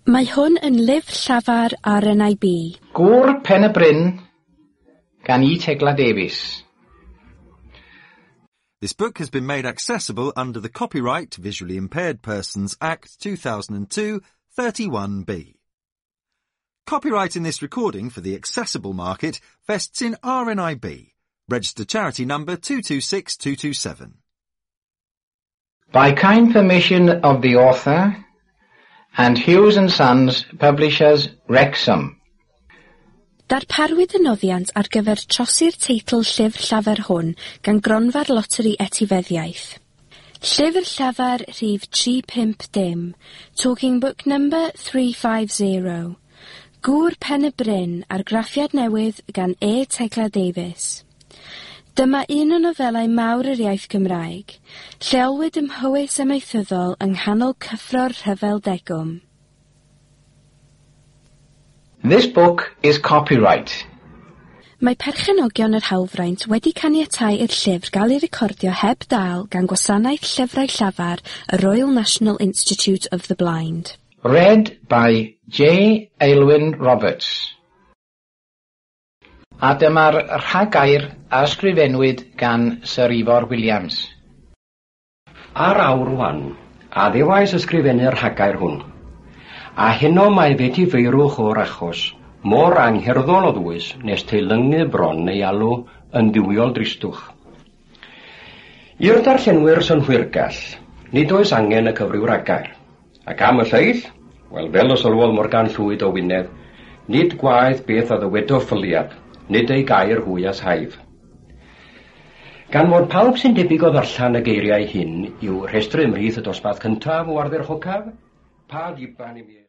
Mae hwn yn lyfr llafar RNIB. Gŵr Pen y Bryn gan E. Tegla Davies. This book has been made accessible under the Copyright Visually Impaired Persons Act 2002 31B. Copyright in this recording for the accessible market vests in RNIB, registered charity number 226227. By kind permission of the author and Hughes and Sons, Publishers, Wrexham. Darparwyd y noddiant ar gyfer trosi'r teitl llyfr llafar hwn gan Gronfa'r Loteri Etifeddiaeth. Llyfr llafar rhif 350, Talking Book number 350. Gŵr Pen y Bryn, argraffiad newydd gan E. Tegla Davies. Dyma un o nofelau mawr yr iaith Gymraeg. Lleolwyd ym Mhowys amaethyddol yng nghanol cyffro'r rhyfel degwm. This book is copyright. Mae perchenogion yr hawlfraint wedi caniatáu i'r llyfr gael ei recordio heb dâl gan Gwasanaeth Llyfrau Llafar y Royal National Institute of the Blind. Read by J. Aylwin Roberts. A dyma'r rhagair a ysgrifennwyd gan Sir Ifor Williams. Ar awr wan, a ddewais ysgrifennu'r rhagair hwn. A heno mae feti feirwch o'r achos, mor angherddol o ddwys nes teilyngu bron ei alw yn ddiwiol dristwch. I'r darllenwyr synhwyrgall, nid oes angen y cyfryw ragair. Ac am y lleill, wel fel y sylwodd Morgan Llwyd o Wynedd, nid gwaeth beth a ddywedo ffyliad, nid ei gair hwy as haif. Gan fod pawb sy'n debyg o ddarllen y geiriau hyn i'w rhestru ymhlith y dosbarth cyntaf o ardderchocaf, pa ddiban i mi...